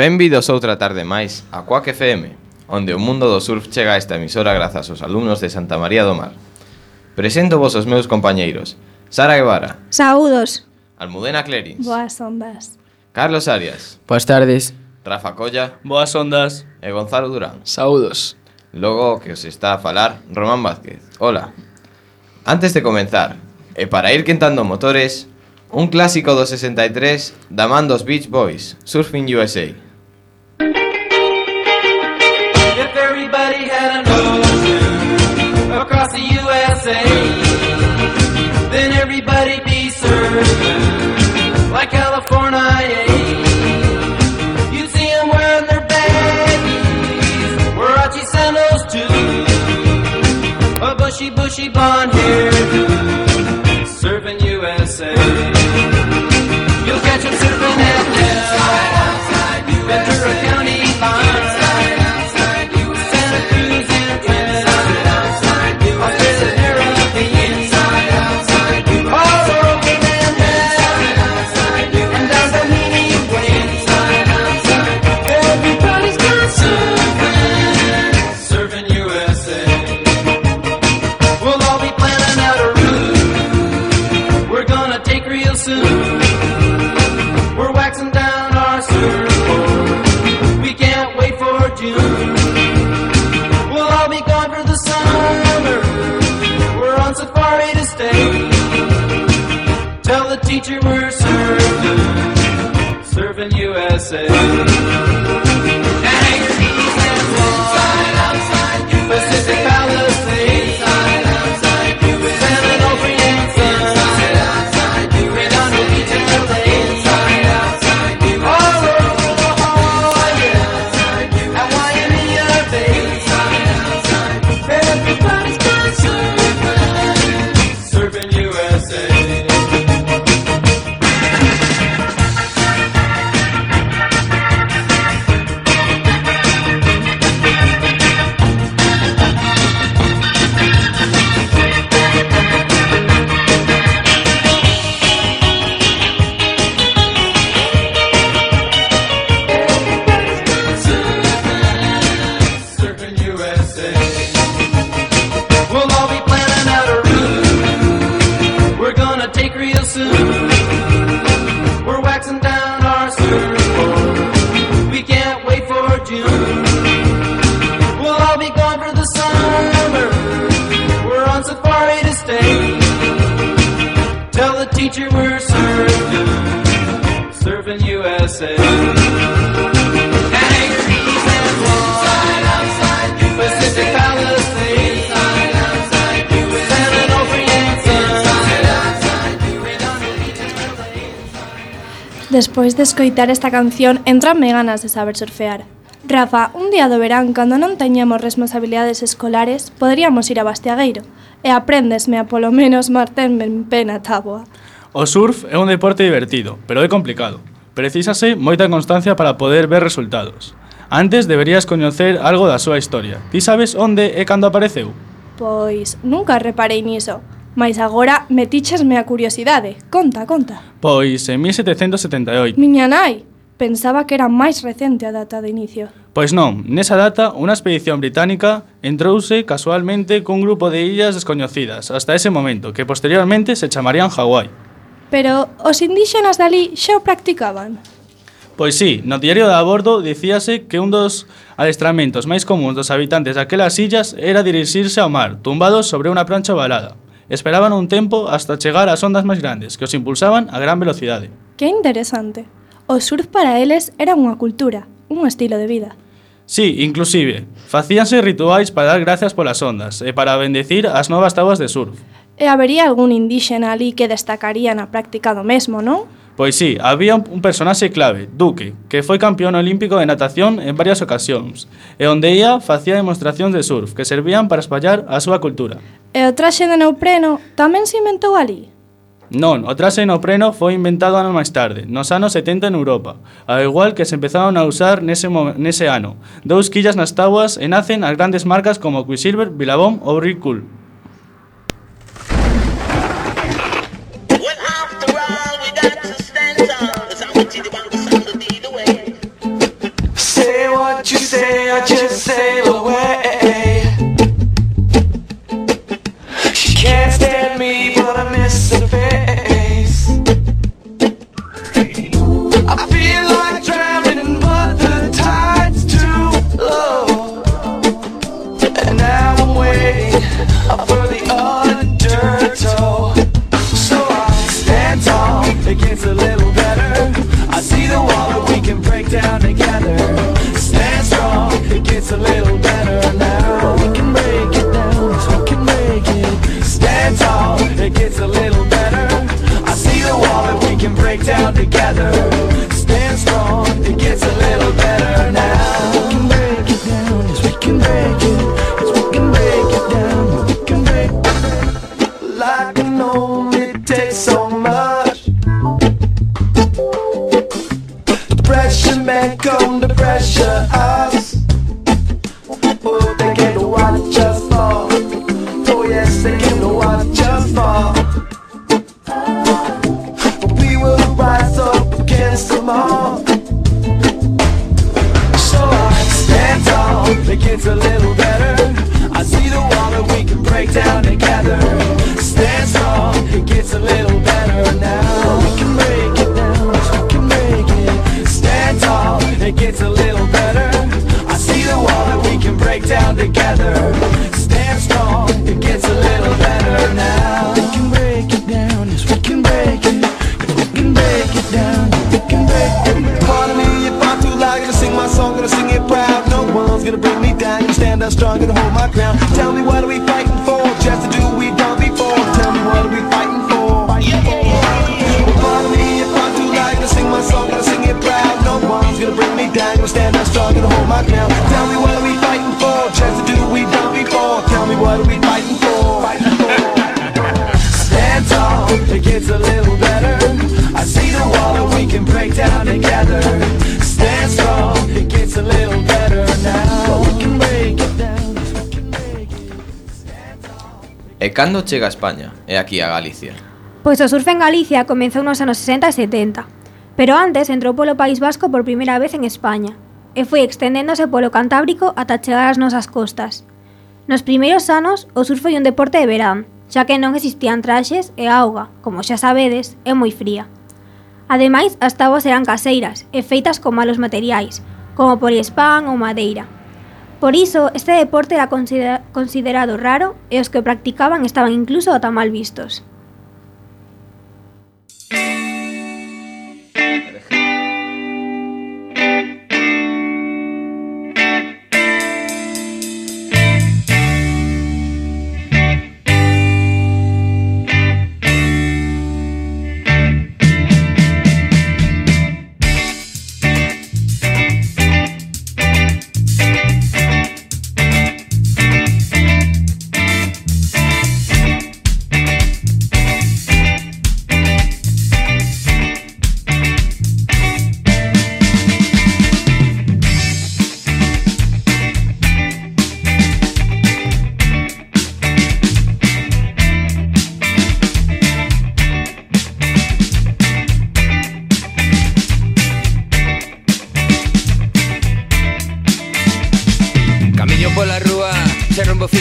Benvidos outra tarde máis a Quack FM, onde o mundo do surf chega a esta emisora grazas aos alumnos de Santa María do Mar. Presento vos os meus compañeiros: Sara Guevara. Saúdos. Almudena Clerins. Boas ondas. Carlos Arias. Boas tardes. Rafa Colla. Boas ondas. E Gonzalo Durán. Saúdos. Logo que os está a falar Román Vázquez. Hola. Antes de comenzar, e para ir quentando motores, un clásico do 63 da man dos Beach Boys, Surfing USA. If everybody had an ocean across the USA, then everybody'd be surfing like California. You'd see them wearing their baggies, Warachi sandals too, a bushy blonde hair, surfing USA. You'll catch them surfing at the Ventura County line, Santa Cruz and Twin, Australia, Caribbean, all over Manhattan, and down the Meany Way. Everybody's got surfing USA. We'll all be planning out a route we're gonna take real soon. We're waxing down our surfboard, we can't wait for June. We'll all be gone for the summer, we're on safari to stay. Tell the teacher we're surfing USA. Anchorage and Guam, Pacific Palisades, San Onofre and Sun, Redondo Beach and LA, all over La Jolla, at Waimea Bay. Everybody's got surfing USA. Surfing USA. We'll all be planning out a route we're gonna take real soon. We're waxing down our surfboard, we can't wait for June. We'll all be gone for the summer, we're on safari to stay. Tell the teacher we're surfing USA. Anchorage and Guam, Pacific Palisades, San Onofre and Sun, Redondo Beach and LA. Despois de escoitar esta canción, entranme ganas de saber surfear. Rafa, un día do verán, cando non teñamos responsabilidades escolares, poderíamos ir a Bastiagueiro e aprendesme a polo menos martenme en pena táboa. O surf é un deporte divertido, pero é complicado. Precisase moita constancia para poder ver resultados. Antes deberías coñecer algo da súa historia. Ti sabes onde e cando apareceu? Pois, nunca reparei niso. Mais agora metichesme a curiosidade. Conta. Pois en 1778. Miña nai, pensaba que era máis recente a data de inicio. Pois non, nesa data unha expedición británica entrouse casualmente cun grupo de illas descoñecidas hasta ese momento, que posteriormente se chamarían Hawái. Pero os indíxenas dali xa o practicaban. Pois sí, no diario de a bordo dicíase que un dos adestramentos máis comuns dos habitantes daquelas illas era dirixirse ao mar, tumbados sobre unha prancha ovalada. Esperaban un tempo hasta chegar ás ondas máis grandes, que os impulsaban a gran velocidade. Que interesante. O surf para eles era unha cultura, un estilo de vida. Sí, inclusive, facíanse rituais para dar gracias polas ondas e para bendecir as novas táboas de surf. E habería algún indíxena ali que destacaría na práctica do mesmo, non? Pois sí, había un personaxe clave, Duque, que foi campeón olímpico de natación en varias ocasións, e onde ia facía demostracións de surf que servían para espallar a súa cultura. E o traxe de neopreno tamén se inventou ali? Non, o traxe de neopreno foi inventado anos máis tarde, nos anos 70 en Europa, ao igual que se empezaron a usar nese ano. 2 quillas nas táboas e nacen as grandes marcas como Quicksilver, Billabong ou Rip Curl. say I just sail away. She can't stand me, but I miss her face. I feel like drowning, but the tide's too low. And now I'm waiting for the undertow. So I stand tall against a little better. I see the wall that we can break down together. Stand strong, it gets a little better now. We can break it down, yes, we can break it. Stand tall, it gets a little better. I see the wall that we can break down together. Stand strong, it gets a little better now. We can break it down, yes, we can break it. Yes, we can break it down, we can break it. Like I know it takes so much. The pressure men come to pressure us. Oh, they came to watch us fall. Oh yes, they came to watch us fall. But we will rise up against them all. So I stand tall, it gets a little better. I see the wall that we can break down together. Stand strong, it gets a little better now. We can break it down, yes, we can break it. Stand tall, it gets a little better. I see the wall that we can break down together. Stand strong, it gets a little better now. We can break it down, yes, we can break it. Yes, we can break it down, we can break it. Pardon me if I'm too loud, gonna sing my song, gonna sing it proud. No one's gonna bring me down, gonna stand up strong, gonna hold my ground. Tell me what are we fighting for? Just to do what we've done before. Tell me what are we fighting for? Well, pardon me if I'm too loud, gonna sing my song, gonna sing it proud. No one's gonna bring me down, gonna stand up strong, gonna hold my ground. Tell me what are we fighting for? Just to do what we've done before. Tell me what are we fighting for? Stand tall, it gets a little better. I see the wall that we can break down together. Stand strong, it gets a little better now. We can break it down, we can break it. E cando chega a España e aquí a Galicia? Pois o surf en Galicia comezou nos anos 60 e 70, pero antes entrou polo País Vasco por primeira vez en España e foi extendéndose polo Cantábrico ata chegar ás nosas costas. Nos primeiros anos, o surf foi un deporte de verán, xa que non existían traxes e a auga, como xa sabedes, é moi fría. Ademais, as táboas eran caseiras e feitas con malos materiais, como poliespán ou madeira. Por iso, este deporte era considerado raro e os que o practicaban estaban incluso ata mal vistos.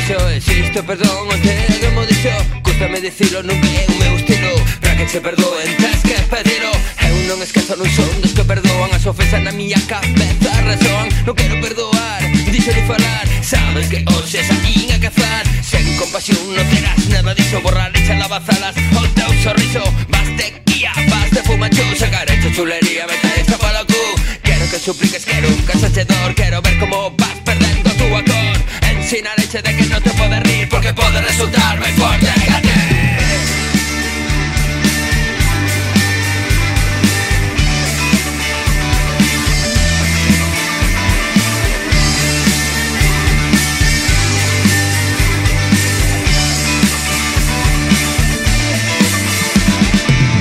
Existo, perdón, onte demo dixo. Cústame dicilo, nunca é o meu estilo. Pra que se perdoen, tes que pedilo. Eu non esquezo, non son dos que perdoan. As ofensas na miña cabeza resoan. Non quero perdoar, dixo de falar. Sabes que hoxe saín a cazar. Sen compasión non terás nada dixo. Borrar e lavazalas o teu sorriso. Vas de guía, vas de fumacho. Sacar hecho chulería, meta esta palo cu. Quero que supliques, quero un casachedor. Quero ver como vas perdendo tu acor. Ensinarche de que no te puedes rir porque puede resultar muy fuerte que a ti.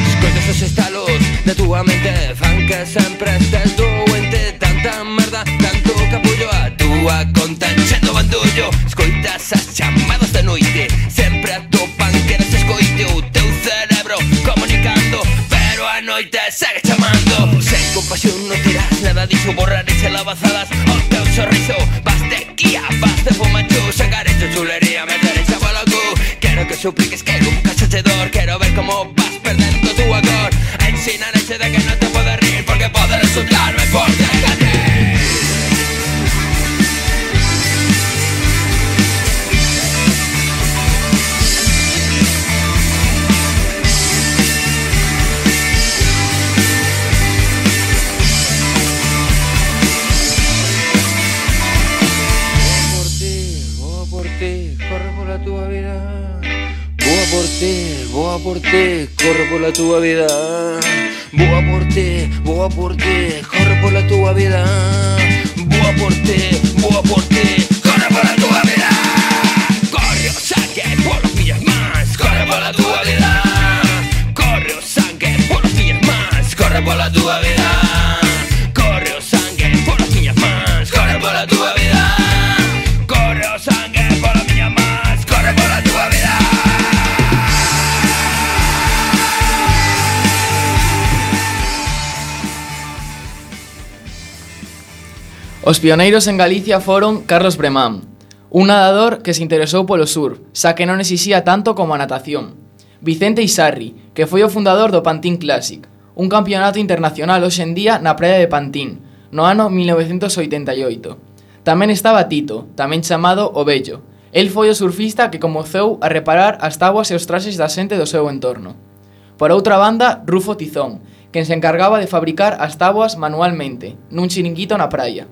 Escoitas os estalos de tua mente fan que sempre estés doente. Tanta merda, tanto capullo a tua conta enchendo bandullo. Escoitas as chamadas da noite, sempre atopan que non se escoite o teu cerebro comunicando, pero a noite segue chamando. Sen compasión non tirás nada dixo, borrar e lavazadas o teu sorriso. supliques que nunca sucedor. Quero ver como vas perdendo tu agor. Ensinarete de que non te podes rir, porque pode resultar moi forte que ti. Corre pola túa vida. Boa por ti, corre pola túa vida. Boa por ti, corre pola túa vida. Boa por ti, corre pola túa vida. Corre o sangue polas miñas mans, corre pola túa vida. Corre o sangue polas miñas mans, corre pola túa vida. Corre o sangue polas miñas mans, corre pola túa vida. Corre o sangue polas miñas mans, corre pola túa vida. Os pioneiros en Galicia foron Carlos Bremán, un nadador que se interesou polo surf, xa que non exixía tanto como a natación. Vicente Isarri, que foi o fundador do Pantín Classic, un campeonato internacional hoxe en día na praia de Pantín, no ano 1988. Tamén estaba Tito, tamén chamado O Vello. El foi o surfista que comezou a reparar as táboas e os traxes da xente do seu entorno. Por outra banda, Rufo Tizón, quen se encargaba de fabricar as táboas manualmente, nun chiringuito na praia.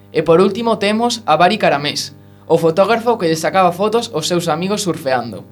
E por último temos a Bari Caramés, o fotógrafo que lle sacaba fotos aos seus amigos surfeando.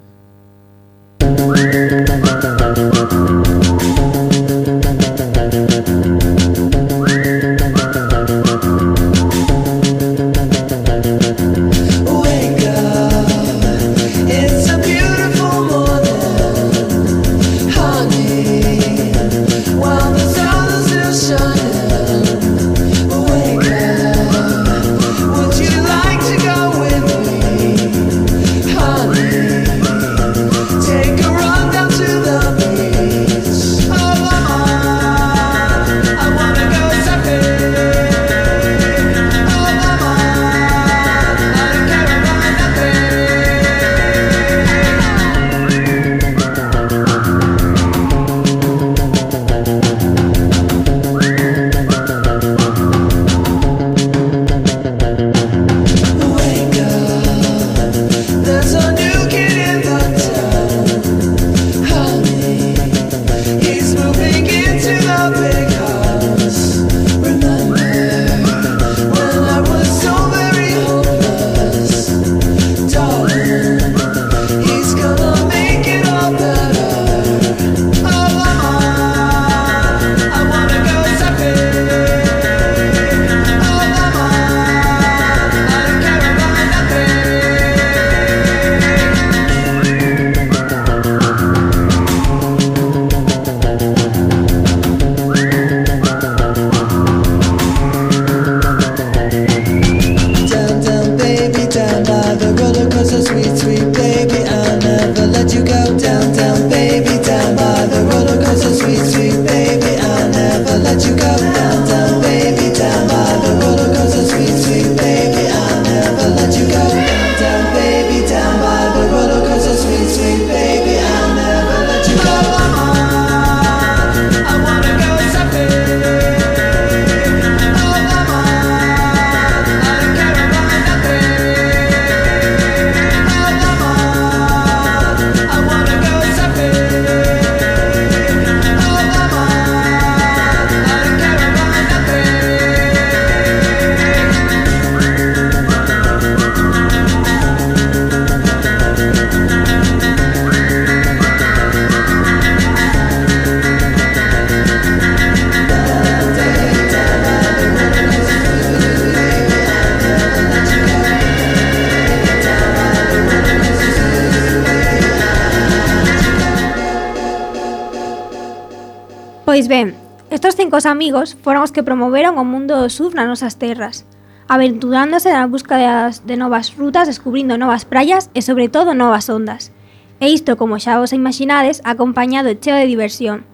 Pois ben, estos 5 amigos foron os que promoveron o mundo do surf nas nosas terras, aventurándose na búsqueda de novas rutas, descubrindo novas praias e, sobre todo, novas ondas. E isto, como xa vos imaginades, acompañado e cheo de diversión.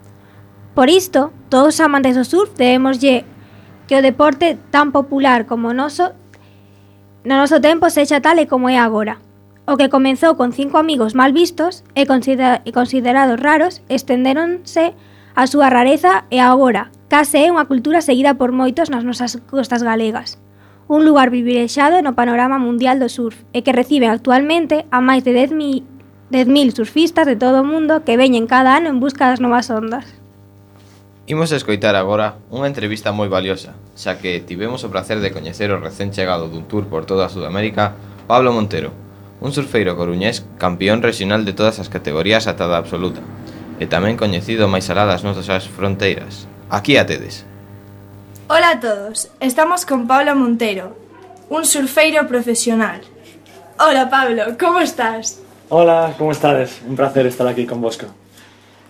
Por isto, todos os amantes do surf debemoslle que o deporte tan popular como o noso, no noso tempo sexa tal e como é agora. O que comezou con 5 amigos mal vistos e considerados raros, estendéronse a súa rareza e agora case é unha cultura seguida por moitos nas nosas costas galegas. Un lugar privilexiado no panorama mundial do surf e que recibe actualmente a máis de 10.000 surfistas de todo o mundo que veñen cada ano en busca das novas ondas. Imos a escoitar agora unha entrevista moi valiosa, xa que tivemos o placer de coñecer o recén chegado dun tour por toda Sudamérica, Pablo Montero, un surfeiro coruñés campeón regional de todas as categorías ata da absoluta, e tamén coñecido máis alá das nosas fronteiras. Aquí a tedes. Hola a todos, estamos con Pablo Montero, un surfeiro profesional. Hola Pablo, como estás? Hola, como estades? Un placer estar aquí con vosco.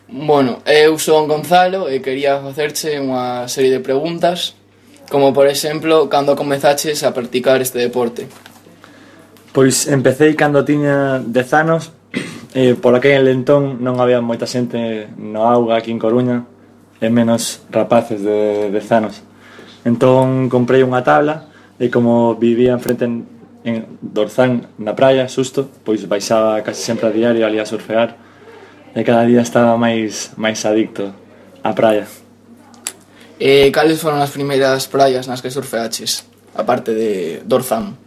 Bueno, eu son Gonzalo e quería facerche unha serie de preguntas, como por exemplo, cando comezaches a practicar este deporte? Pois empecé cando tiña 10 anos e por aquel entón non había moita xente no auga aquí en Coruña e menos rapaces de 10 anos. Entón comprei unha tabla e como vivía enfrente en Dorzán na praia, xusto, pois baixaba casi sempre a diario ali a surfear e cada día estaba máis adicto á praia. E cales foron as primeiras praias nas que surfeaches, aparte de Dorzán?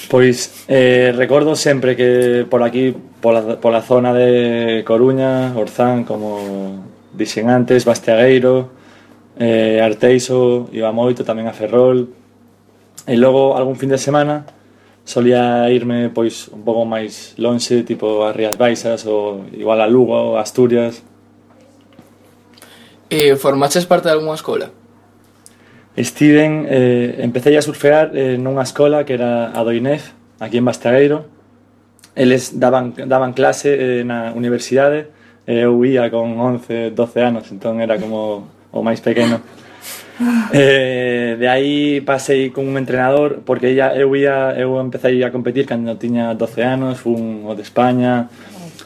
Pois recordo sempre que por aquí, pola zona de Coruña, Orzán, como dixen antes, Bastiagueiro, Arteixo, iba moito, tamén a Ferrol. E logo, algún fin de semana, solía irme pois un pouco máis lonxe, tipo a Rías Baixas ou igual a Lugo, a Asturias. E formaches parte de algunha escola? Empecé a surfear nunha escola que era a do INEF, aquí en Bastiagueiro. Eles daban clase na universidade e eu ia con 11, 12 anos, entón era como o máis pequeno. De aí pasei con un entrenador, porque eu empecé a competir cando tiña 12 anos, fun o de España.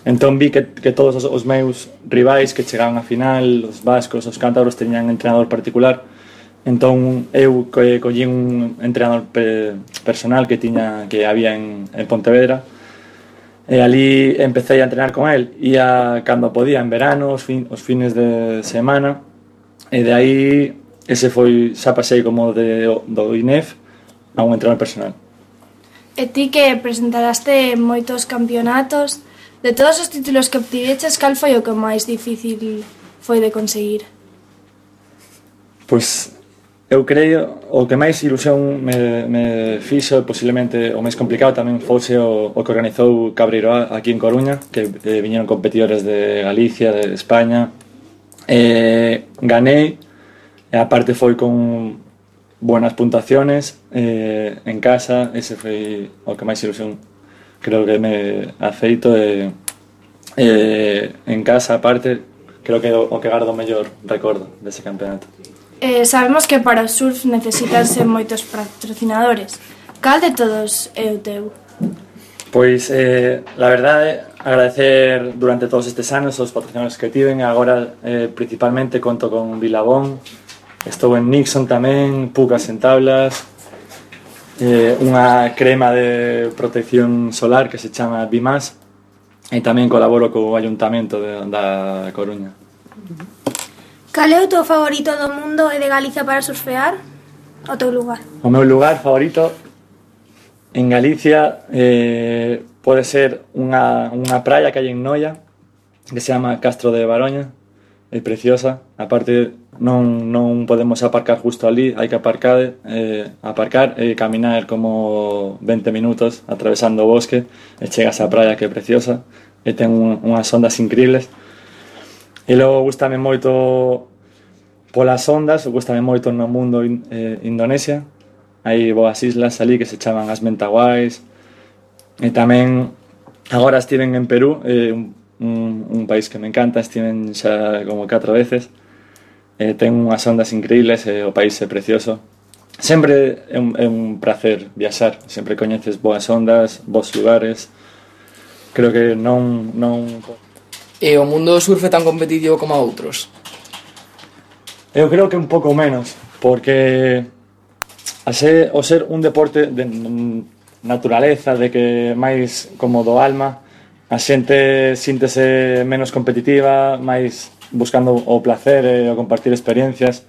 Entón vi que todos os meus rivais que chegaban a final, os vascos, os cántabros, teñan entrenador particular. Entón eu collín un entrenador personal que había en Pontevedra e ali empecé a entrenar con el, ia cando podía en verano, os fines de semana, e de aí xa pasei como do INEF a un entrenador personal. E ti que presentaraste moitos campeonatos, de todos os títulos que obtiveches, cal foi o que máis difícil foi de conseguir? Pois eu creo o que máis ilusión me fixo, posiblemente o máis complicado tamén fose o que organizou Cabreiroa aquí en Coruña, que viñeron competidores de Galicia, de España. Ganei, e aparte foi con buenas puntuaciones en casa. Ese foi o que máis ilusión creo que me afeito, en casa aparte creo que o que gardo o mellor recordo dese campeonato. Sabemos que para o surf necesitanse moitos patrocinadores. Cal de todos é o teu? Pois, la verdade, agradecer durante todos estes anos os patrocinadores que tiven. Agora, principalmente, conto con Vilabón, estou en Nixon tamén, Pucas en tablas, unha crema de protección solar que se chama Bimas, e tamén colaboro co Ayuntamento da Coruña. Cal é o teu favorito do mundo e de Galicia para surfear? O teu lugar? O meu lugar favorito en Galicia pode ser unha praia que hai en Noia, que se chama Castro de Baroña. É preciosa. Aparte, non podemos aparcar justo ali, hai que aparcar e caminar como 20 minutos atravesando o bosque e chegas á praia, que é preciosa e ten unhas ondas increíbles. E logo gustame moito polas ondas, gustame moito no mundo Indonesia. Hai boas islas ali que se chaman as Mentawais. E tamén agora estiven en Perú, un país que me encanta, estiven xa como 4 veces. Ten unhas ondas increíbles e o país é precioso. Sempre é un placer viaxar, sempre coñeces boas ondas, bons lugares. Creo que non... E o mundo do surf é tan competitivo como outros? Eu creo que un pouco menos, porque o ser un deporte naturaleza, de que máis como do alma, a xente síntese menos competitiva, máis buscando o placer e o compartir experiencias,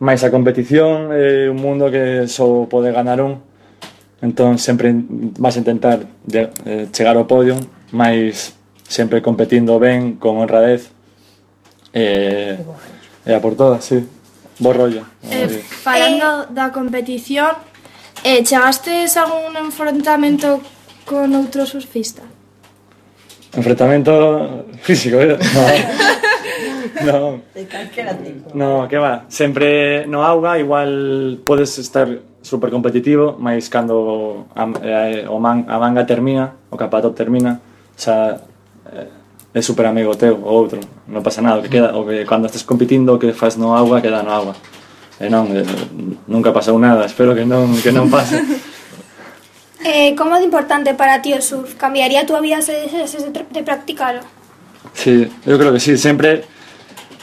máis a competición é un mundo que só pode ganar un, entón sempre vas a intentar chegar ao podio, máis sempre competindo ben, con honradez e a por todas, sí. Bo rollo. Falando da competición, chegastes a algún enfrontamento con outro surfista? Enfrentamento físico, No, no, que va. Sempre no auga igual podes estar super competitivo, mas cando a manga termina, o capatop termina, xa é super amigo teu o outro, non pasa nada, o que queda, o que cando estés competindo o que faz no auga queda no auga. E non, nunca pasou nada, espero que non pase. Como de importante para ti o surf? Cambiaría a túa vida se deixases de practicalo? Sí, eu creo que sí, sempre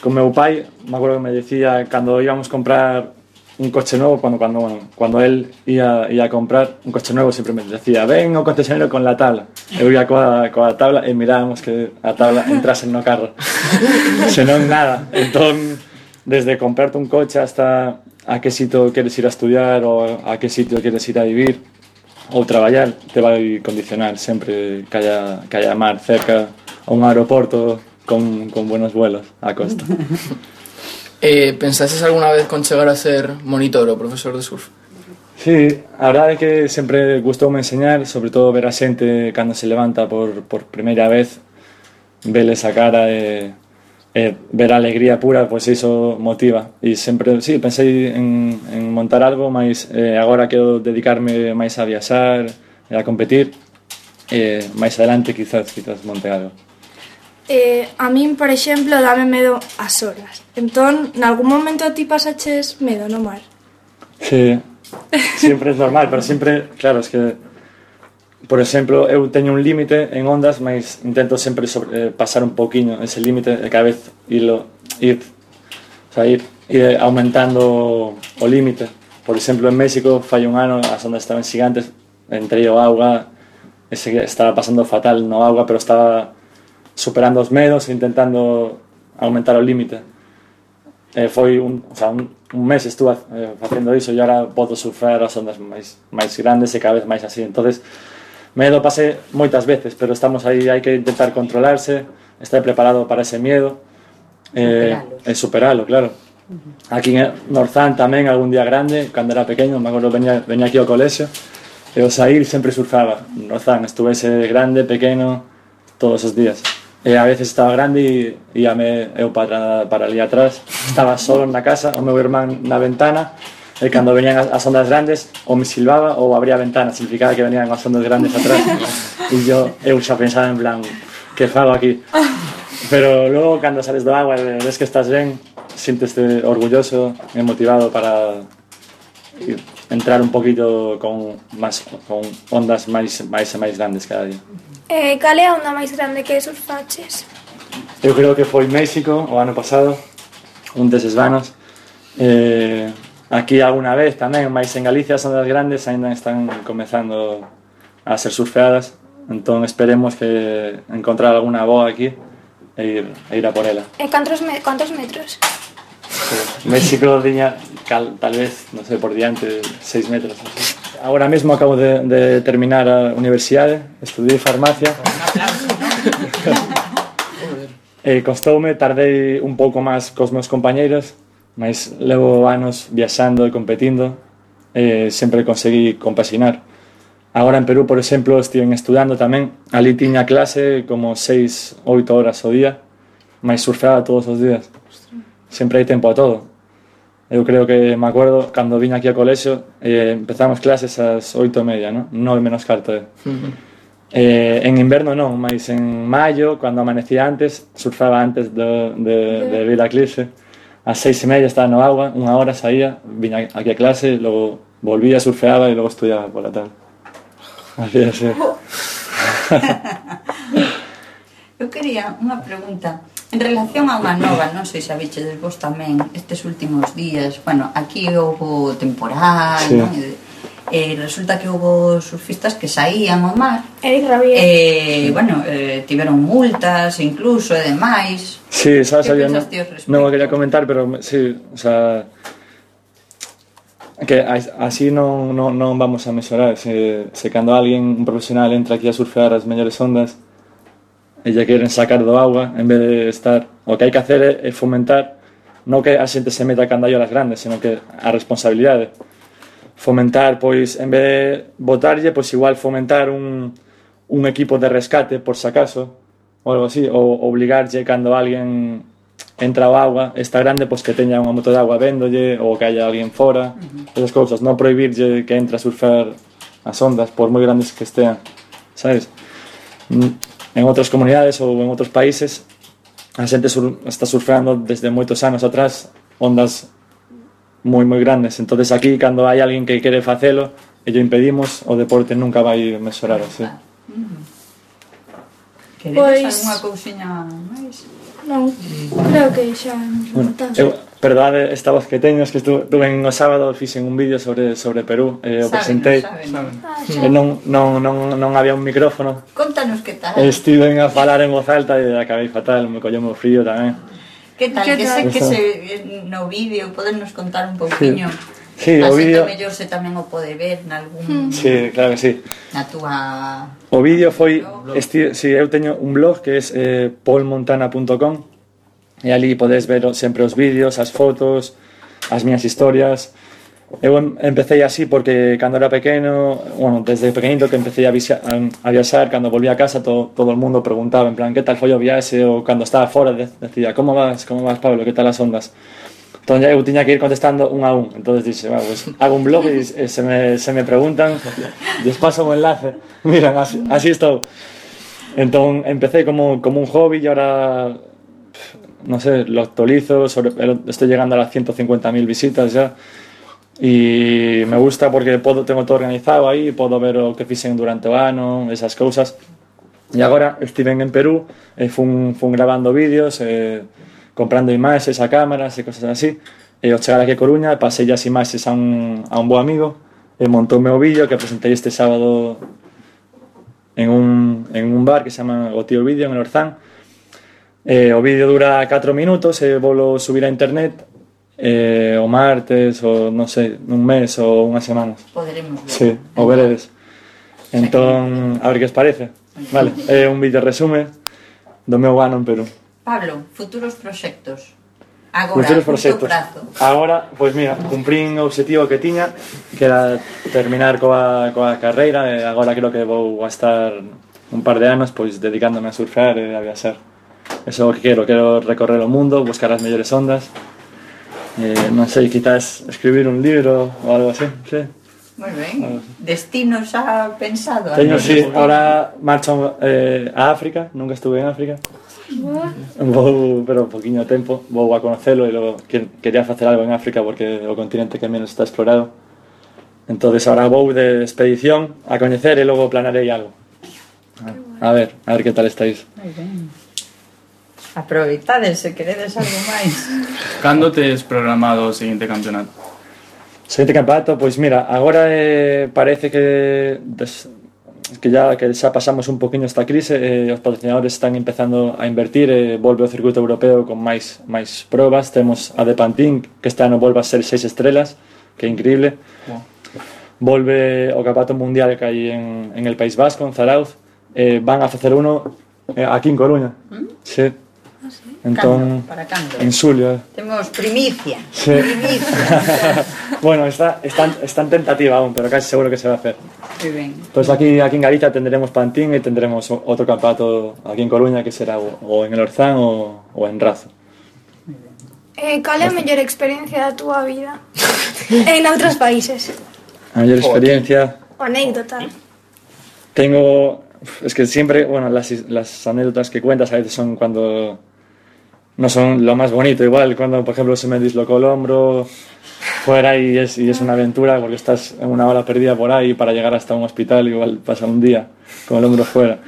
con meu pai, me acuerdo que me decía cando íbamos a comprar un coche nuevo, cuando él ia a comprar un coche nuevo, sempre me decía, ven ao concesionario con la tabla. Eu ia coa tabla e mirábamos que a tabla entrase no carro. Senón nada. Entón, desde comprarte un coche hasta a que sitio queres ir a estudiar ou a que sitio queres ir a vivir ou traballar, te vai condicionar sempre que haya mar cerca ou un aeroporto con buenos vuelos á costa. Pensases alguna vez con chegar a ser monitor ou profesor de surf? Sí, a verdade é que sempre gustoume enseñar, sobre todo ver a xente cando se levanta por primeira vez, veles a cara e ver a alegría pura, pois iso motiva. E sempre, sí, pensei en montar algo, mas agora quero dedicarme máis a viaxar e a competir, e máis adelante quizás monte algo. A min, por exemplo, dame medo as olas. Entón, nalgún momento ti pasaches medo no mar? Sí, sempre é normal, pero sempre, claro, es que, por exemplo, eu teño un límite en ondas, mas intento sempre pasar un poquinho ese límite e cada vez ir aumentando o límite. Por exemplo, en México, fai un ano, as ondas estaban gigantes, entrei ao auga, estaba pasando fatal no auga, pero estaba superando os medos e intentando aumentar o límite. Foi un mes estuve facendo iso e agora podo surfear as ondas máis grandes e cada vez máis así. Entonces, medo pasé moitas veces, pero estamos aí, hai que intentar controlarse, estar preparado para ese miedo e superalo, claro. Aquí en Norzán tamén, algún día grande, cando era pequeño, me acordo, venía aquí ao colexio e ao saír sempre surfaba. Norzán, estuvese grande, pequeno, todos os días. E a veces estaba grande e íame eu para ali atrás, estaba solo na casa, o meu irmán na ventana, e cando venían as ondas grandes ou me silbaba ou abría a ventana, significaba que venían as ondas grandes atrás, e eu xa pensaba en plan, que fago aquí? Pero logo cando sales do agua e ves que estás ben, siénteste orgulloso e motivado para entrar un poquito con ondas máis grandes cada día. Cal é a onda máis grande que surfaches? Eu creo que foi México o ano pasado, un deses vanos. Aquí alguna vez tamén, máis en Galicia as ondas grandes ainda están comezando a ser surfeadas, entón esperemos que encontrar alguna boa aquí e ir a por ela. Cantos metros? México tiña tal vez, non sei, por diante 6 metros. Agora mesmo acabo de terminar a universidade, estudiei farmacia. Costoume, tardei un pouco máis cos meus compañeiros, mas levo anos viaxando e competindo, sempre conseguí compaxinar. Agora en Perú, por exemplo, estive estudando tamén, ali tiña clase como 6-8 horas ao día, mas surfeaba todos os días. Sempre hai tempo a todo. Eu creo que me acuerdo cando vine aquí ao colexio, empezamos clases ás 8:30, ¿no? 9 menos cuarto. En inverno non, mas en maio, cando amanecía antes, surfaba antes de vir a clase. Ás 6:30 estaba no agua, unha hora saía, viña aquí a clase, logo volvía, surfeaba e logo estudiaba pola tarde. Así é, sí. Eu quería unha pregunta en relación a unha nova, non sei se habichedes vos tamén estes últimos días, bueno, aquí houve temporal, sí, non? resulta que hubo surfistas que saían ao mar Eric Rabier. bueno, tiveron multas incluso e demais. Sí, sabes, Que había, pensas ti ao respecto? non o quería comentar, pero sí, o sea, que así non vamos a mesurar. Se cando alguén, un profesional, entra aquí a surfear as mellores ondas e lle queren sacar do agua, en vez de estar, o que hai que hacer é fomentar, non que a xente se meta cando hai olas grandes, senón que a responsabilidade. Fomentar, pois, en vez de botarlle, pois igual fomentar un equipo de rescate, por si acaso, ou algo así, ou obligarlle cando alguén entra ao agua, está grande, pois que teña unha moto de agua véndolle, ou que haya alguén fora, esas cousas, non prohibirlle que entre a surfar as ondas, por moi grandes que estean, sabes? En outras comunidades ou en outros países, a xente está surfeando desde moitos anos atrás ondas moi grandes. Entonces aquí, cando hai alguén que quere facelo e lle impedimos, o deporte nunca vai mejorar así. Queredes algunha cousiña máis? Non, creo que xa nos Bueno, perdade esta voz que teño, es que estuve en o sábado, fixen un vídeo sobre Perú, o presentei, e non había un micrófono. Contanos que tal. Estiven a falar en voz alta e acabei fatal, me colleu moi frío tamén. Que tal? Que sei que no vídeo podernos contar un pouquiño. Sí, o vídeo. Así que mellor se tamén o pode ver nalgún... Sí, claro que sí. Na túa... O vídeo foi... Sí, eu teño un blog que é paulmontana.com e ali podes ver sempre os vídeos, as fotos, as miñas historias. Eu empecé así porque cando era pequeno, bueno, desde pequenito que empecé a viaxar, cando volví a casa todo o mundo preguntaba en plan, que tal foi o viaxe, ou cando estaba fora decía, como vas Pablo, que tal as ondas? Entón eu tiña que ir contestando un a un, entonces dixe, pues, hago un blog e se me preguntan, les paso un enlace, miran, así estou. Entón empecé como un hobby e ahora, no sé, lo actualizo, estoy llegando a las 150.000 visitas ya. Y me gusta porque tengo todo organizado aí, podo ver o que fixen durante o ano, esas cousas. E agora estiven en Perú, fun grabando vídeos, comprando imaxes a cámaras e cosas así. E ao chegar aquí a Coruña, pasei as imaxes a un bo amigo e montoume o vídeo que presentei este sábado en un bar que se chama O Tío Vídeo en el Orzán. O vídeo dura 4 minutos e volo subir a internet o martes, o non sei, un mes ou unhas semanas. Poderemos ver. Sí, o veredes. Entón, a ver que os parece. Vale, é un vídeo resume do meu ano en Perú. Pablo, futuros proxectos. Agora, Futuros curto proxectos. prazo. Agora, pois mira, cumprín o objetivo que tiña, que era terminar coa carreira, e agora creo que vou a estar un par de anos pois dedicándome a surfear e a viaxar. Eso é o que quero recorrer o mundo, buscar as mellores ondas. Non sei, quizás escribir un libro ou algo así, sí. Moi ben. Destino xa pensado? Teño, sí, ahora marcho a África, nunca estuve en África. Vou, pero un poquinho tempo, vou a conocelo e logo quería facer algo en África porque é o continente que menos está explorado. Entonces ahora vou de expedición a coñecer e logo planarei algo. A ver que tal estáis. Moi ben. Aproveitades se queredes algo máis. Cando tes programado o seguinte campeonato? Seguinte campeonato, pois mira, agora parece que xa pasamos un poquinho esta crise, os patrocinadores están empezando a invertir, volve o circuito europeo con máis probas. Temos a de Pantín, que este ano volve a ser 6 estrelas, que é increíble. Volve o campeonato mundial que hai en el País Vasco, en Zarauz. Van a facer uno aquí en Coruña. Sí. Entón, para cando? En xulio. Temos primicia. Sí. Primicia. Bueno, está en tentativa aún, pero casi seguro que se va a hacer. Moi ben. Pues aquí en Galicia tendremos Pantín e tendremos outro campeonato aquí en Coruña que será o en el Orzán o en Razo. Cal é a mellor experiencia da túa vida en outros países? A mellor experiencia... O anécdota. Tengo... Es que siempre, bueno, las anécdotas que cuentas a veces son cuando... No son lo más bonito, igual cuando, por ejemplo, se me dislocó el hombro fuera y es una aventura porque estás en una hora perdida por ahí para llegar hasta un hospital, igual pasa un día con el hombro fuera.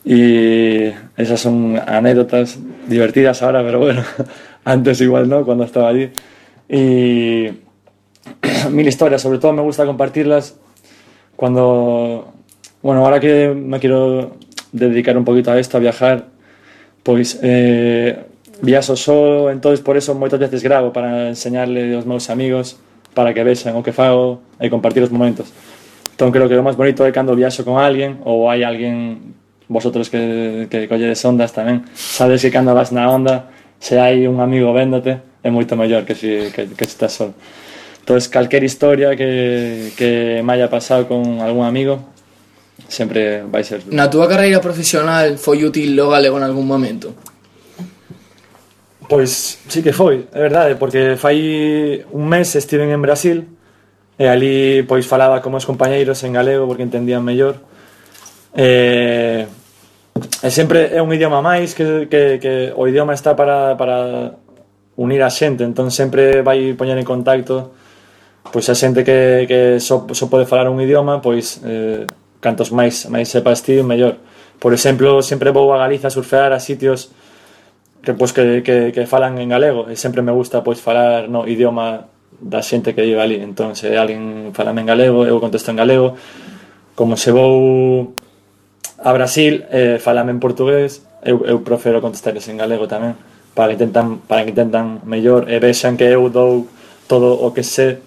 Y esas son anécdotas divertidas ahora, pero bueno, antes igual no, cuando estaba allí. Y mil historias, sobre todo me gusta compartirlas cuando, bueno, ahora que me quiero dedicar un poquito a esto, a viajar, pois viaxo só, entonces por eso moitas veces gravo para enseñarle aos meus amigos para que vexan o que fago e compartir os momentos. Entón creo que o máis bonito é cando viaxo con alguén ou hai alguén, vosotros que colledes ondas tamén, sabes que cando vas na onda, se hai un amigo véndote, é moito mellor que se estás só. Entón, calquer historia que me haya pasado con algún amigo sempre vai ser... Na túa carreira profesional foi útil o galego en algún momento? Pois sí que foi, é verdade, porque fai un mes estiven en Brasil e ali pois falaba con meus compañeiros en galego porque entendían mellor e sempre é un idioma máis que o idioma está para unir a xente, entón sempre vai poñer en contacto pois a xente que só pode falar un idioma, pois cantos máis sepas ti, mellor. Por exemplo, sempre vou a Galiza a surfear a sitios que falan en galego e sempre me gusta pois falar no idioma da xente que vive ali. Entón, se alguén falame en galego, eu contesto en galego. Como se vou a Brasil, falame en portugués, eu prefiro contestarles en galego tamén, para que intentan mellor e vexan que eu dou todo o que sé,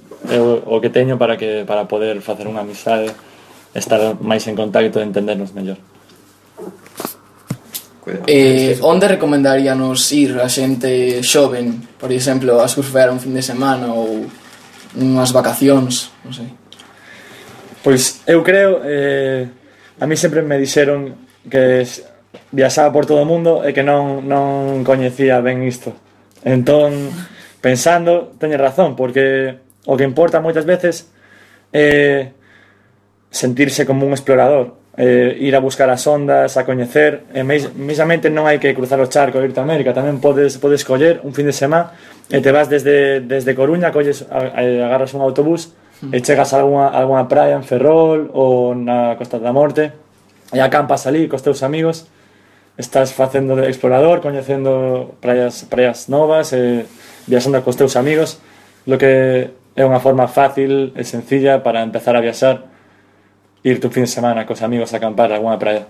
o que teño para poder facer unha amizade, estar máis en contacto e entendernos mellor. Onde recomendaríanos ir a xente xoven, por exemplo, a surfear un fin de semana ou unhas vacacións, non sei? Pois eu creo, a mí sempre me dixeron que viaxaba por todo o mundo e que non coñecía ben isto. Entón, pensando, teñe razón, porque o que importa moitas veces é sentirse como un explorador, ir a buscar as ondas, a coñecer, e mesamente non hai que cruzar o charco e irte a América, tamén podes coller un fin de semana e te vas desde Coruña, agarras un autobús e chegas a alguna praia en Ferrol ou na Costa da Morte e acampas ali cos teus amigos, estás facendo de explorador, coñecendo praias novas e viaxando cos teus amigos, lo que é unha forma fácil e sencilla para empezar a viaxar, irte un fin de semana cos amigos a acampar a alguna praia.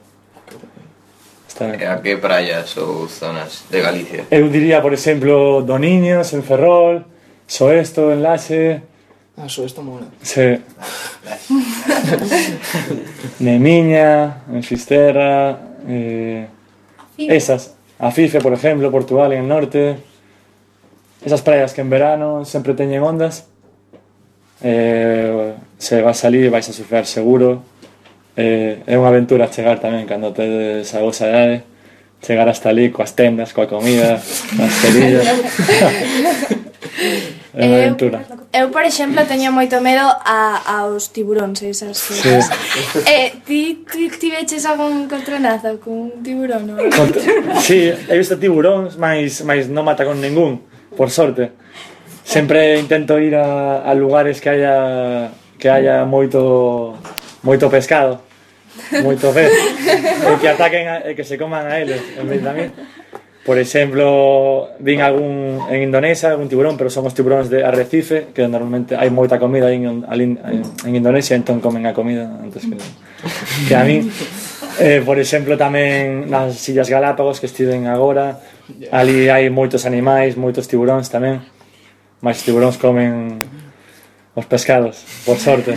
E a que praias ou zonas de Galicia? Eu diría, por exemplo, Doniños, en Ferrol, Soesto, en Laxe... Soesto mola. Sí. Nemiña, en Fisterra... esas. Afife, por exemplo, Portugal, en el norte... Esas praias que en verano sempre teñen ondas... se vas a salir vais a surfear seguro, é unha aventura chegar tamén cando tedes a vosa idade, chegar hasta ali coas tendas, coa comida, as cerillas. É unha aventura. Eu, por exemplo, teño moito medo aos tiburóns e esas cousas. Ti veches algún encontronazo con un tiburón? Sí, he visto tiburóns, mas non mata con ningún, por sorte. Sempre intento ir a lugares que haya moito pescado, moito pez, e que ataquen e que se coman a eles en vez de a mí. Por exemplo, vin en Indonesia algún tiburón, pero son os tiburóns de arrecife, que normalmente hai moita comida en Indonesia, entón comen a comida antes que a mí. Por exemplo, tamén nas Illas Galápagos que estiven agora, ali hai moitos animais, moitos tiburóns tamén. Mas os tiburóns comen os pescados, por sorte.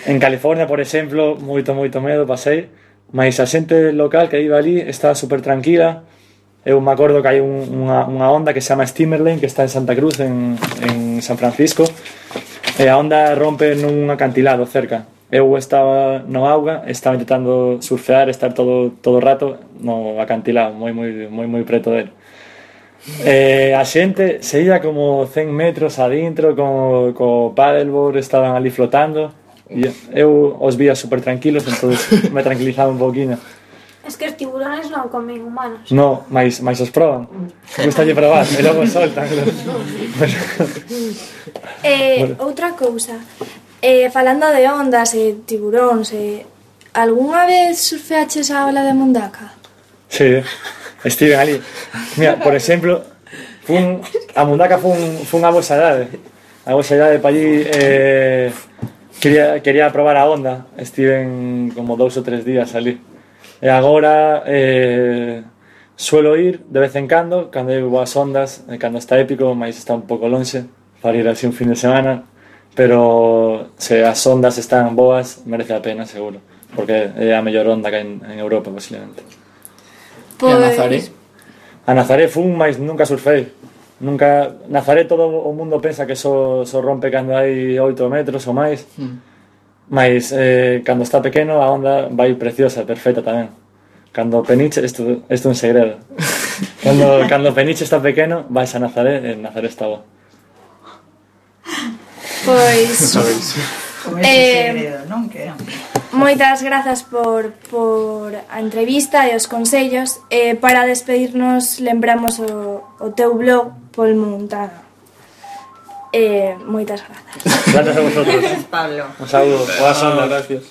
En California, por exemplo, moito medo pasei, mas a xente local que vive ali está super tranquila. Eu me acordo que hai unha onda que se chama Steamerlane, que está en Santa Cruz, en San Francisco, e a onda rompe nun acantilado cerca. Eu estaba no auga, estaba intentando surfear, estar todo o rato no acantilado, moi preto dele. A xente se ia como 100 metros adentro co paddleboard, estaban ali flotando e eu os vía super tranquilos, entón me tranquilizaba un pouquinho. Es que os tiburones non comen humanos. No, mas os proban. Gustalle probar e logo soltan. Outra cousa, falando de ondas e tiburóns, algunha vez surfeaches a ola de Mundaka? Sí, estiven ali. Mira, por exemplo, a Mundaka fun a vosa idade. a vosa idade para allí quería probar a onda. Estiven como 2 ou 3 días ali. E agora suelo ir de vez en cando hai boas ondas, cando está épico, mas está un pouco lonxe para ir así un fin de semana, pero se as ondas están boas merece a pena seguro, porque é a mellor onda que hai en Europa posiblemente. E a Nazaré? A Nazaré fun, mas nunca surfei. Nunca, Nazaré todo o mundo pensa que só rompe cando hai 8 metros ou máis. Mas cando está pequeno a onda vai preciosa, perfecta tamén. Cando Peniche, isto é un segredo. Cando Peniche está pequeno, vais a Nazaré e Nazaré está bo. Pois Como ese segredo, non? Que moitas grazas por a entrevista e os consellos. Para despedirnos lembramos o teu blog Pol Montana. Moitas grazas. Gracias a vosotros. Gracias, Pablo. Un saúdo. Boas ondas. Gracias.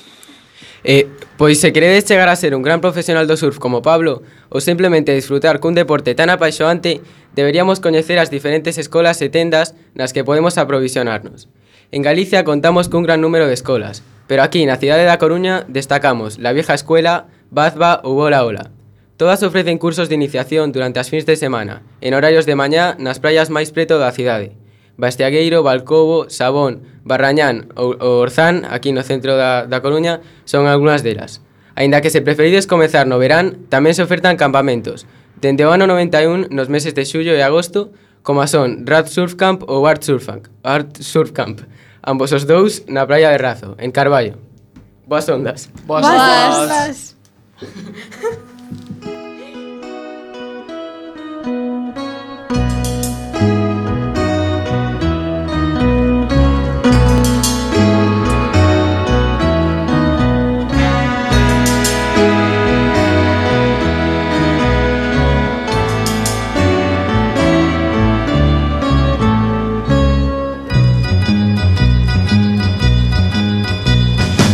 Pois se queredes chegar a ser un gran profesional do surf como Pablo ou simplemente disfrutar cun deporte tan apaixoante, deberíamos coñecer as diferentes escolas e tendas nas que podemos aprovisionarnos. En Galicia contamos cun gran número de escolas, pero aquí na cidade da Coruña destacamos La Vieja Escuela, Bazba ou Ola Ola. Todas ofrecen cursos de iniciación durante as fins de semana, en horarios de mañá nas praias máis preto da cidade. Bastiagueiro, Balcobo, Sabón, Barrañán ou Orzán, aquí no centro da Coruña, son algunhas delas. Aínda que se preferides comezar no verán, tamén se ofertan campamentos, dende o ano 91 nos meses de xullo e agosto, como son Rad Surf Camp ou Art Surf Camp, ambos os dous na praia de Razo, en Carballo. Boas ondas. Boas ondas.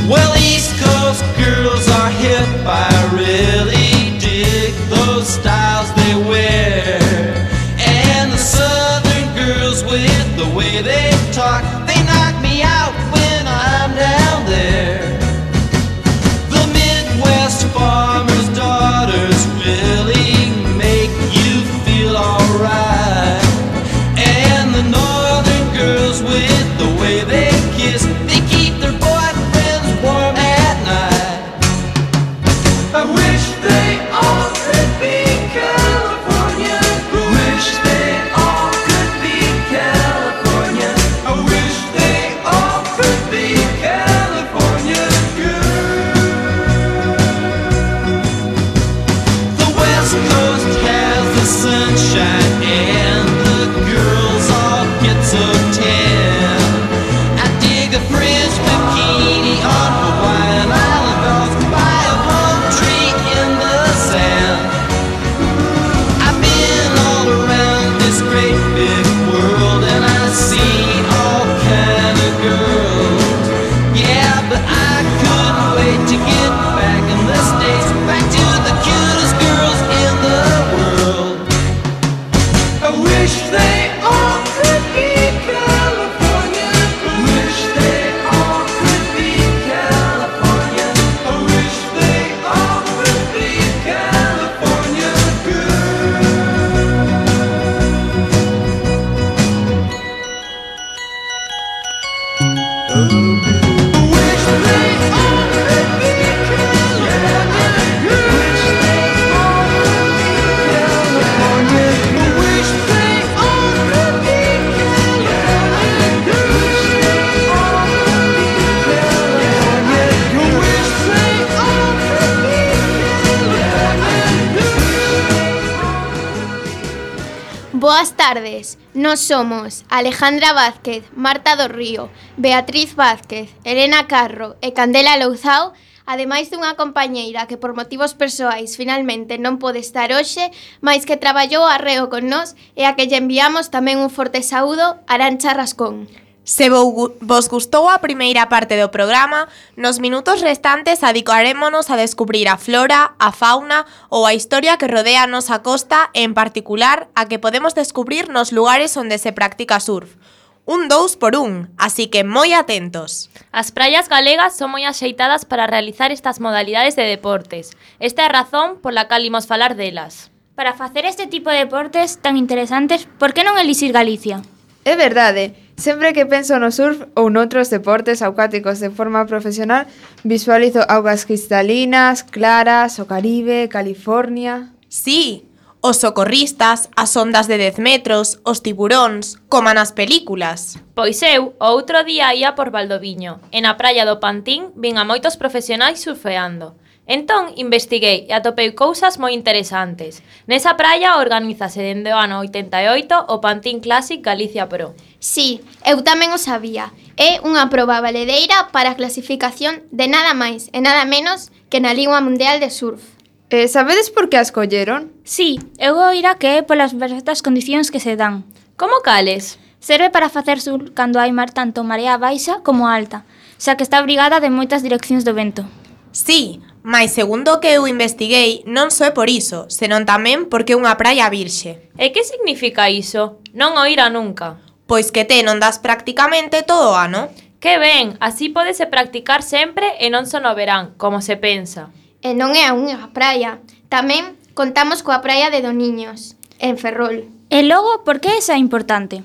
Well, East Coast girls are hip. I really dig those styles they wear. And the Southern girls with the way they talk, they knock me out when I'm down there. The Midwest farmers' daughters really make you feel alright. And the Northern girls with the way they kiss, they keep their boyfriends warm at night. I wish they all could be California. Wish they all could be California. I wish they all could be California girls. The West Coast has the sunshine and the girls all get so tan. I dig a French bikini on Hawaiian Island girls by a palm tree in the sand. I've been all around this great big world and I've seen all kind of girls. Yeah, but I couldn't wait to get back in the States, back to the cutest girls in the world. I wish they all could be California. Wish they all could be California. I wish they all could be California Boas tardes, nós somos Alejandra Vázquez, Marta do Río, Beatriz Vázquez, Elena Carro e Candela Louzao, ademais dunha compañeira que por motivos persoais finalmente non pode estar hoxe, mais que traballou arreo con nós e a que lle enviamos tamén un forte saúdo, Arantxa Rascón. Se vos gustou a primeira parte do programa, nos minutos restantes adicarémonos a descubrir a flora, a fauna ou a historia que rodea a nosa costa e, en particular, a que podemos descubrir nos lugares onde se practica surf. un 2x1, así que moi atentos. As praias galegas son moi axeitadas para realizar estas modalidades de deportes. Esta é a razón pola cal imos falar delas. Para facer este tipo de deportes tan interesantes, por que non elixir Galicia? É verdade, sempre que penso no surf ou noutros deportes acuáticos de forma profesional, visualizo augas cristalinas, claras, o Caribe, California... Sí, os socorristas, as ondas de 10 metros, os tiburóns, como nas películas. Pois eu, o outro día ia por Valdoviño, e na praia do Pantín vin a moitos profesionais surfeando. Entón, investiguei e atopei cousas moi interesantes. Nesa praia organízase dende o ano 88 o Pantín Classic Galicia Pro. Sí, eu tamén o sabía. É unha proba valedeira para a clasificación de nada máis e nada menos que na Liga Mundial de Surf. Sabedes por que a escolleron? Sí, eu oira que é polas perfectas condicións que se dan. Como cales? Serve para facer surf cando hai mar tanto marea baixa como alta, xa que está obrigada de moitas direccións do vento. Sí, mais segundo o que eu investiguei, non só é por iso, senón tamén porque é unha praia virxe. E que significa iso? Non o ira nunca. Pois que te non das prácticamente todo o ano. Que ben, así pódese practicar sempre e non só no verán, como se pensa. E non é a unha praia. Tamén contamos coa praia de Doniños, en Ferrol. E logo, por que esa é importante?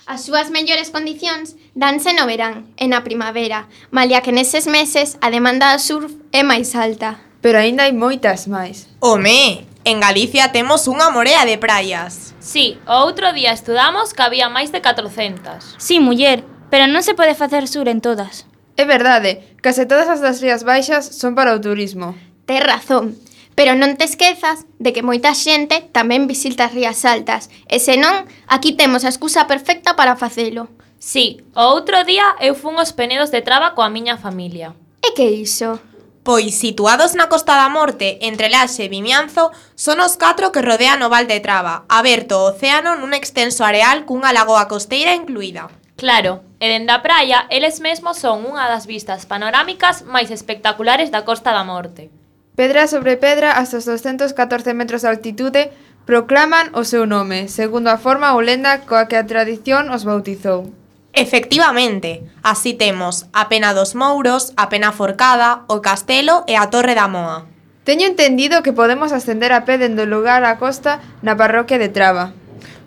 As súas mellores condicións danse no verán e na primavera, malia que neses meses a demanda de surf é máis alta. Pero aínda hai moitas máis. Home, en Galicia temos unha morea de praias. Sí, o outro día estudamos que había máis de 400. Sí, muller, pero non se pode facer sur en todas. É verdade, case todas as das Rías Baixas son para o turismo. Tes razón, pero non te esquezas de que moita xente tamén visita as Rías Altas, e senón, aquí temos a excusa perfecta para facelo. Sí, o outro día eu fun aos Penedos de Traba coa miña familia. E que iso? Pois, situados na Costa da Morte, entre Laxe e Vimianzo, son os 4 que rodean o Val de Traba, aberto ao océano nun extenso areal cunha lagoa costeira incluída. Claro, e dende a praia, eles mesmos son unha das vistas panorámicas máis espectaculares da Costa da Morte. Pedra sobre pedra, hasta os 214 metros de altitude, proclaman o seu nome, segundo a forma ou lenda coa que a tradición os bautizou. Efectivamente, así temos a Pena dos Mouros, a Pena Forcada, o Castelo e a Torre da Moa. Teño entendido que podemos ascender a pé dende o lugar á costa na parroquia de Traba.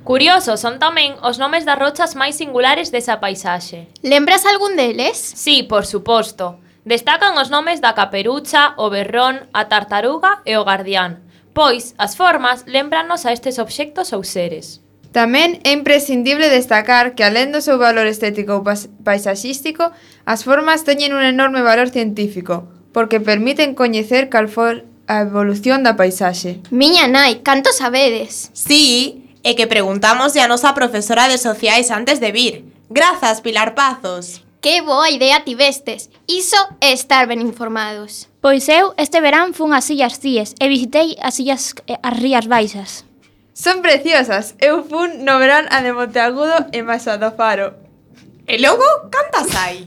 Curiosos son tamén os nomes das rochas máis singulares desa paisaxe. Lembras algún deles? Sí, por suposto. Destacan os nomes da caperucha, o berrón, a tartaruga e o guardián, pois as formas lembranos a estes obxectos ou seres. Tamén é imprescindible destacar que, alén do seu valor estético ou paisaxístico, as formas teñen un enorme valor científico, porque permiten coñecer cal foi a evolución da paisaxe. Miña nai, canto sabedes? Sí, e que preguntamos a nosa profesora de sociais antes de vir. Grazas, Pilar Pazos. Que boa idea tivestes. Iso é estar ben informados. Pois eu este verán fun ás Illas Cíes e visitei as Rías Baixas. Son preciosas. Eu fun no verán a de Monteagudo e Masa do Faro. E logo, cantas hai?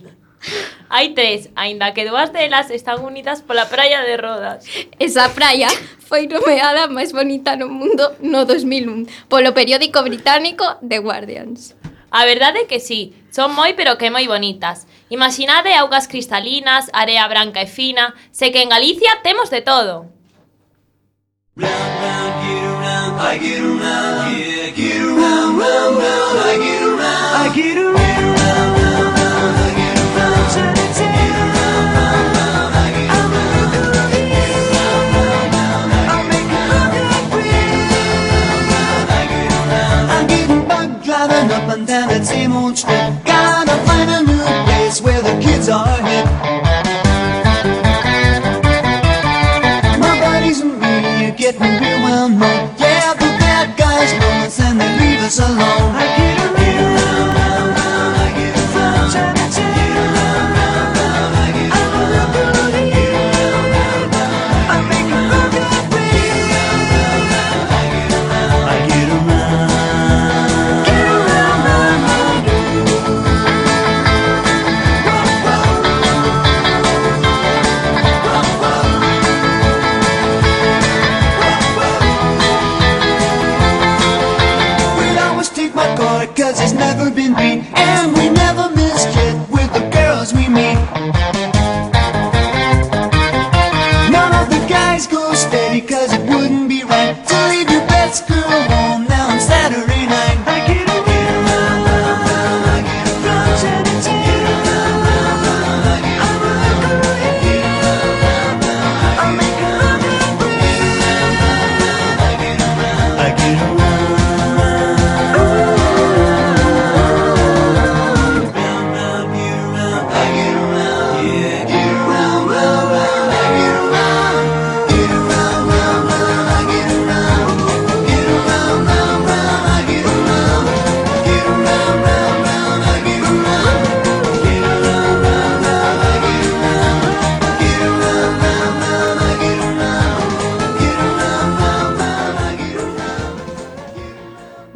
Hai 3, aínda que 2 delas están unidas pola praia de Rodas. Esa praia foi nomeada a máis bonita no mundo no 2001 polo periódico británico The Guardians. A verdade é que sí, son moi pero que moi bonitas. Imaginade augas cristalinas, area branca e fina, sei que en Galicia temos de todo. Round, round, get around, I get around, yeah, get around, round, round, I get around, I get around. Up and down that same old strip, gotta find a new place where the kids are hip. My buddies and me are getting real well known. Yeah, the bad guys know us and they leave us alone. I get around, round, round, I get around, get around, round, round, I get around, get around, round, round, I make a perfect way. I get around, I get around.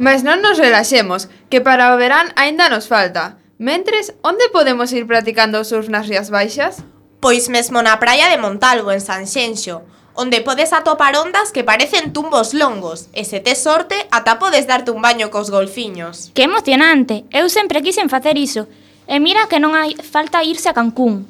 Mas non nos relaxemos, que para o verán aínda nos falta. Mentres, onde podemos ir practicando o surf nas Rías Baixas? Pois mesmo na praia de Montalvo, en Sanxenxo, onde podes atopar ondas que parecen tumbos longos, e se tes sorte, ata podes darte un baño cos golfiños. Que emocionante! Eu sempre quixen facer iso. E mira que non hai falta irse a Cancún.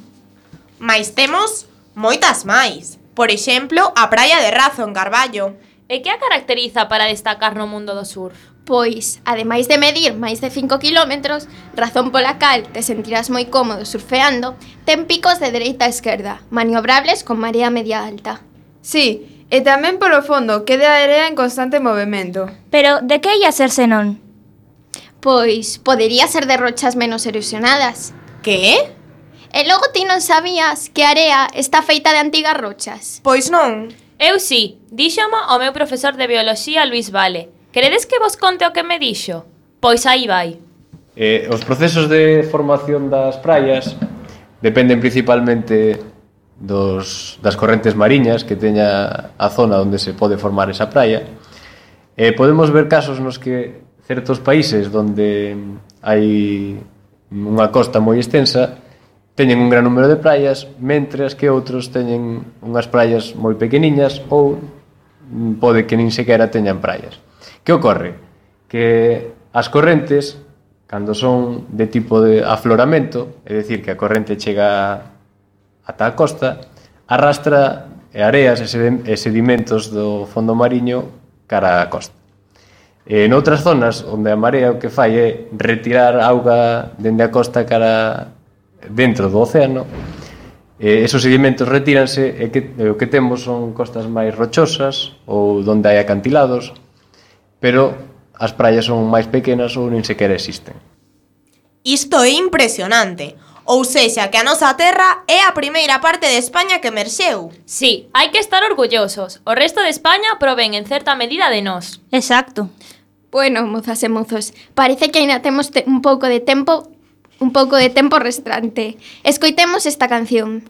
Mais temos moitas máis. Por exemplo, a praia de Razo, en Carballo. E que a caracteriza para destacar no mundo do surf? Pois, ademais de medir máis de 5 kilómetros, razón pola cal te sentirás moi cómodo surfeando, ten picos de dereita a esquerda, maniobrables con marea media alta. Sí, e tamén polo fondo queda a area en constante movimento. Pero de que ia ser senón? Pois, podería ser de rochas menos erosionadas. Que? E logo ti non sabías que a area está feita de antigas rochas? Pois non. Eu sí, díxomo o meu profesor de bioloxía Luis Vale. Queredes que vos conte o que me dixo? Pois aí vai. Os procesos de formación das praias dependen principalmente das correntes mariñas que teña a zona onde se pode formar esa praia. Podemos ver casos nos que certos países onde hai unha costa moi extensa teñen un gran número de praias, mentras que outros teñen unhas praias moi pequeniñas ou pode que nin sequera teñan praias. Que ocorre? Que as correntes, cando son de tipo de afloramento, é dicir, que a corrente chega ata a costa, arrastra areas e sedimentos do fondo mariño cara á costa. Noutras zonas onde a marea o que fai é retirar auga dende a costa cara dentro do océano, esos sedimentos retíranse e o que temos son costas máis rochosas ou onde hai acantilados, pero as praias son máis pequenas ou nin sequera existen. Isto é impresionante. Ou sexa, que a nosa terra é a primeira parte de España que emerxeu. Sí, hai que estar orgullosos. O resto de España provén en certa medida de nós. Exacto. Bueno, mozas e mozos, parece que aínda temos un pouco de tempo restante. Escoitemos esta canción.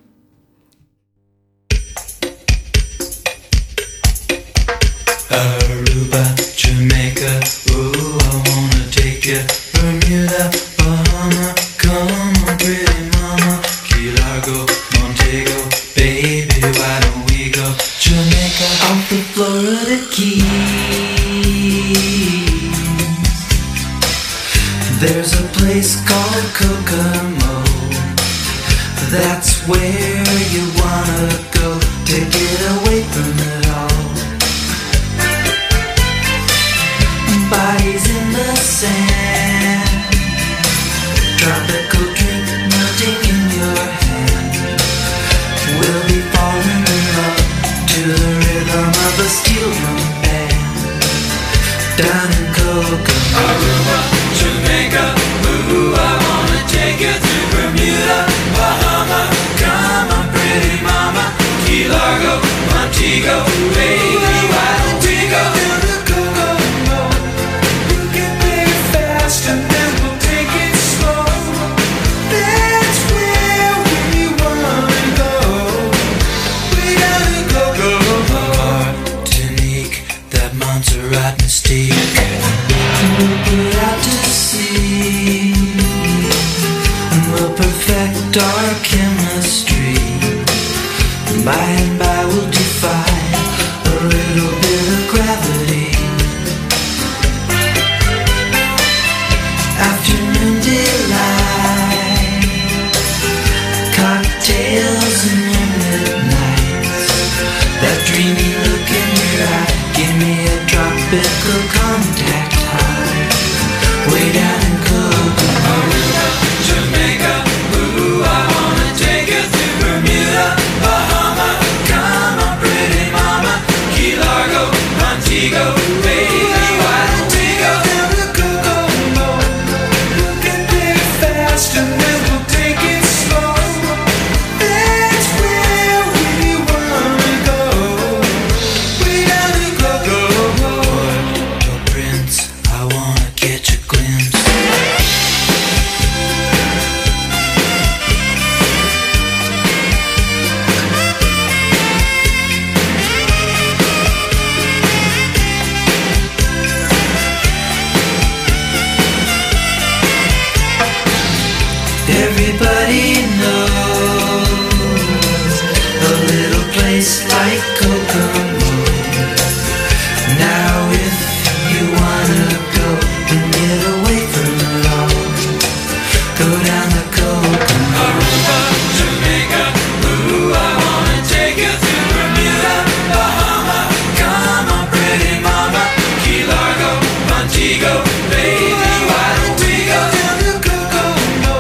Aruba, Jamaica, ooh, I wanna take you. Bermuda, Bahama, come on, pretty mama. Key Largo, Montego, baby, why don't we go? Jamaica, off the Florida Keys. There's a place called Kokomo. That's where you wanna go to get away from it all. Bodies in the sand, tropical drink melting in your hand. We'll be falling in love to the rhythm of a steel drum band. Down in Kokomo, Aruba, Jamaica, ooh, I wanna take you to Bermuda, Bahama, come on, pretty mama. Key Largo, Montego, baby, why don't we go to the Kokomo? We'll get there fast and then we'll take it slow. That's where we wanna go. We gotta go. Martinique, that Montserrat mystique. We'll put out to sea and we'll perfect our chemistry. By and by we'll defy a little bit of gravity. Afternoon delight, cocktails and moonlit nights. That dreamy look in your eye, give me a tropical contact high. Way down in Kokomo, Jamaica, ooh, I wanna take you to Bermuda, Bahama, come on, pretty mama. Key Largo, Montego, baby, why don't we go down to Kokomo? We'll get there fast and then we'll take it slow. That's where we wanna go. We gotta go. we go, baby? Why don't we go down to Kokomo?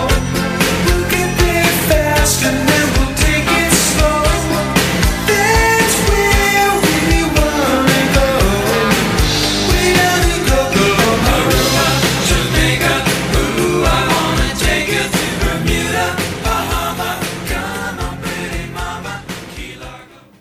We'll get there fast and then we'll take it slow. That's where we wanna go. Way down to Kokomo. Aruba, Jamaica, ooh, I wanna take you to Bermuda, Bahama. Come on, pretty mama.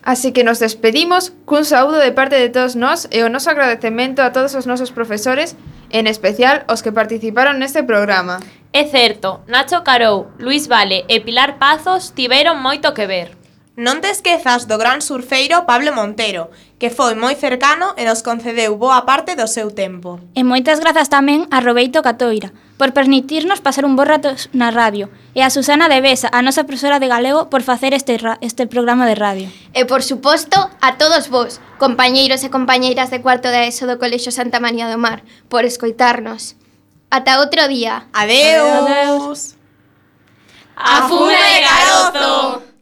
Así que nos despedimos cun saúdo de parte de todos nós e o noso agradecemento a todos os nosos profesores, en especial os que participaron neste programa. É certo, Nacho Carou, Luis Vale e Pilar Pazos tiveron moito que ver. Non te esquezas do gran surfeiro Pablo Montero, que foi moi cercano e nos concedeu boa parte do seu tempo. E moitas grazas tamén a Robeito Catoira por permitirnos pasar un bo rato na radio e a Susana de Besa, a nosa profesora de galego, por facer este programa de radio. E por suposto a todos vos, compañeiros e compañeiras de cuarto da ESO do Colexio Santa María do Mar, por escoitarnos. Ata outro día. Adeus. A fume de carozo!